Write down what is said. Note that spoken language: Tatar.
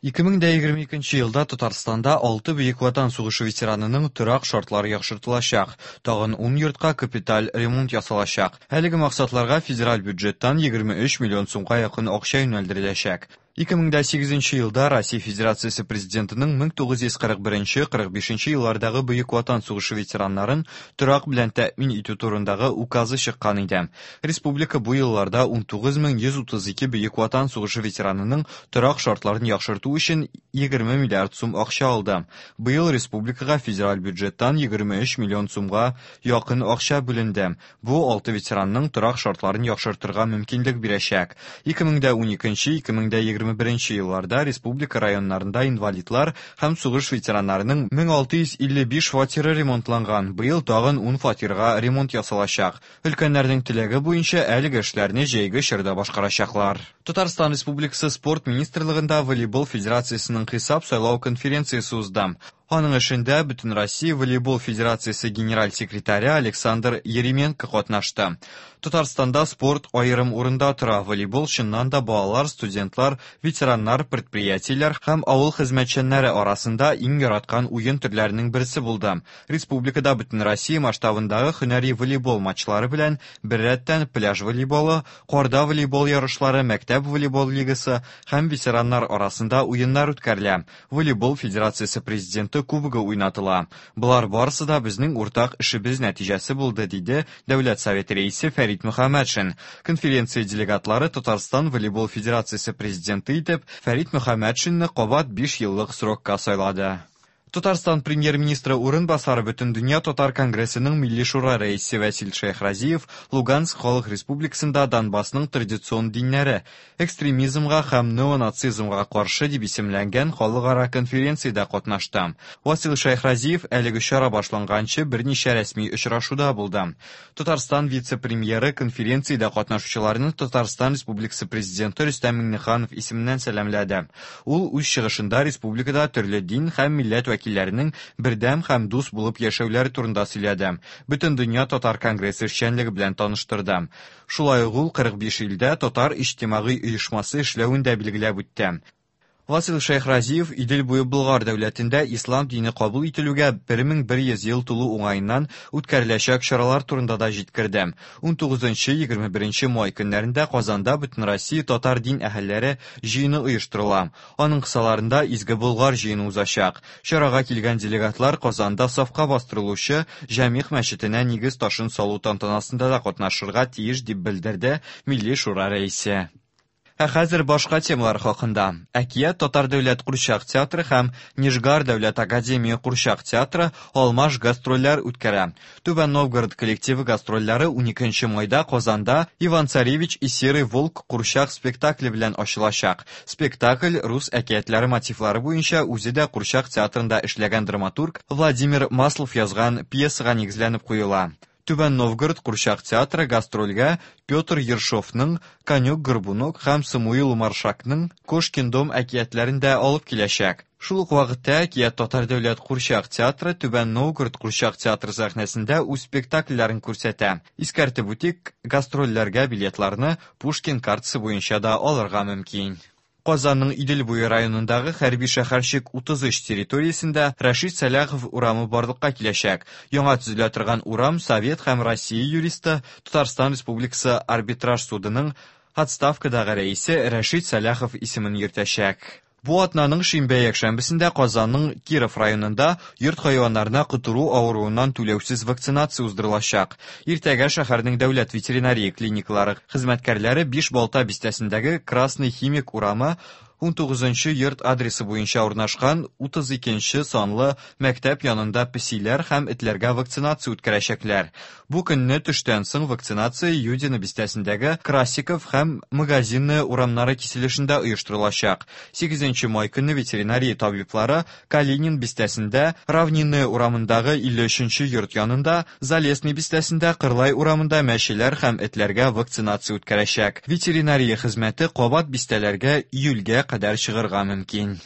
2022 елда Татарстанда 6 Бөек Ватан сугышы ветеранының торак шартлары яхшыртылачак, тагын 10 йортка капиталь ремонт ясалачак. Әлеге максатларга федераль бюджеттан 23 миллион сумга якын акча юнәлдереләчәк. 2008 елда Россия Федерациясе Президентының 1941-45 еллардагы Бөек Ватан сугышы ветераннарын торак белән тәэмин итү турындагы указы чыккан иде. Республика бу елларда 19132 Бөек Ватан сугышы ветеранының торак шартларын яхшырту өчен 20 миллиард сум акча алды. Быел республикага федераль бюджеттан 23 миллион сумга якын акча бүленде. Бу 6 ветеранның торак шартларын яхшыртырга мөмкинлек бирәчәк. 2012-2021 елларда республика районнарында инвалидлар һәм сугыш ветераннарының 1655 фатиры ремонтланган. Быел тагын 10 фатирга ремонт ясалачак. Өлкәннәрнең теләге буенча әлеге эшләрне җәйге чорда башкарачаклар. Татарстан Республикасы Спорт министрлыгында волейбол федерациясенең хисап сайлау конференциясе узды. Аның эшендә Бөтенроссия волейбол федерациясе генераль секретаре Александр Еременко катнашты. Татарстанда спорт аерым урында тора. Волейбол чыннан да балалар, студентлар, ветераннар, предприятиеләр һәм авыл хезмәтчәннәре арасында иң яраткан уен төрләренең берсе булды. Республикада Бөтенроссия масштабындагы һөнәри волейбол матчлары белән беррәттән пляж волейболы, карда волейбол ярышлары, мәктәп волейбол лигасы һәм ветераннар арасында уеннар үткәрелә. Волейбол федерациясе президенты кубогы уйнатыла. Болар барысы да безнең уртак эшебез нәтиҗәсе булды, диде Дәүләт Советы рәисе Фәрит Мөхәммәтшин. Конференция делегатлары Татарстан волейбол федерациясе президенты итеп Фәрит Мөхәммәтшинны кабат 5 еллык срокка сайлады. Татарстан премьер-министры урынбасары Бөтендөнья татар конгрессының Милли шура рәисе Васил Шәйхразиев Луганск халык республикасында Донбассның традицион диннәре экстремизмга һәм неонацизмга каршы дип исемләнгән халыкара конференциядә катнашты. Васил Шәйхразиев әлеге чара башланганчы берничә рәсми очрашуда булды. Татарстан вице-премьеры конференциядә катнашучыларны Татарстан Республикасы президенты Рөстәм Миңнеханов исеменнән сәламләде. Ул үз чыгышында республикада төрле дин һәм милләт вәкилләренең бердәм һәм дус булып яшәүләре турында сөйләде. Бөтендөнья татар конгрессы эшчәнлеге белән таныштырды. Шулай ук ул 45 илдә татар иҗтимагый оешмасы эшләвен дә билгеләп үтте. Васил Шәйхразиев Идел буе Болгар дәүләтендә ислам дине кабул ителүгә 1100 ел тулу уңаеннан үткәреләчәк чаралар турында да җиткерде. 19-21 май көннәрендә Казанда Бөтенроссия татар дин әһелләре җыены оештырыла. Аның кысаларында Изге Болгар җыены узачак. Чарага килгән делегатлар Казанда сафка бастырылучы Җәмигъ мәчетенә нигез ташын салу тантанасында да катнашырга тиеш дип белдерде Милли шура рәисе. Ә хәзер башка темалар хакында. Әкият татар дәүләт курчак театры һәм Нижгар дәүләт академия курчак театры алмаш гастрольләр үткәрә. Түбән Новгород коллективы гастрольләре 12 майда Казанда Иван Царевич и Серый волк курчак спектакле белән ачылачак. Спектакль рус әкиятләре мотивлары буенча үзе дә курчак театрында эшләгән драматург Владимир Маслов язган пьесага нигезләнеп куела. Түбән Новгород курчак театры гастрольгә Петр Ершовның Конек-горбунок һәм Самуил Маршакның Кошкин дом әкиятләрен дә алып киләчәк. Шул ук вакытта Әкият татар дәүләт курчак театры Түбән Новгород курчак театры сәхнәсендә үз спектакльләрен күрсәтә. Искәртеп үтик, гастрольләргә билетларны Пушкин картасы буенча да алырга мөмкин. Казанның Идел буе районындагы хәрби шәһәрчек 33 территориясендә Рәшит Сәлахов урамы барлыкка киләчәк. Яңа төзелә торган урам Совет һәм Россия юристы, Татарстан Республикасы арбитраж судының отставкадагы рәисе Рәшит Сәлахов исемен йөртәчәк. Бу атнаның шимбә якшәмбесендә Казанның Киров районында йорт хайваннарына котыру авыруыннан түләүсез вакцинация уздырылачак. Иртәгә шәһәрнең дәүләт ветеринария клиникалары хезмәткәрләре Бишбалта бистәсендәге Красный Химик урамы 19 йорт адресы буенча урнашкан 32 санлы мәктәп янында песиләр һәм этләргә вакцинация үткәрәчәкләр. Бу көнне төштән соң вакцинация Юдино бистәсендәге Красиков һәм Магазинная урамнары киселешендә оештырылачак. 8 май көнне ветеринария табиблары Калинин бистәсендә Равнинная урамындагы 53 йорт янында, Залесный бистәсендә Кырлай урамында мәчеләр һәм этләргә вакцинация үткәрәчәк. Ветеринария хезмәте кабат бистәләргә июльгә кадәр чыгарга мөмкин.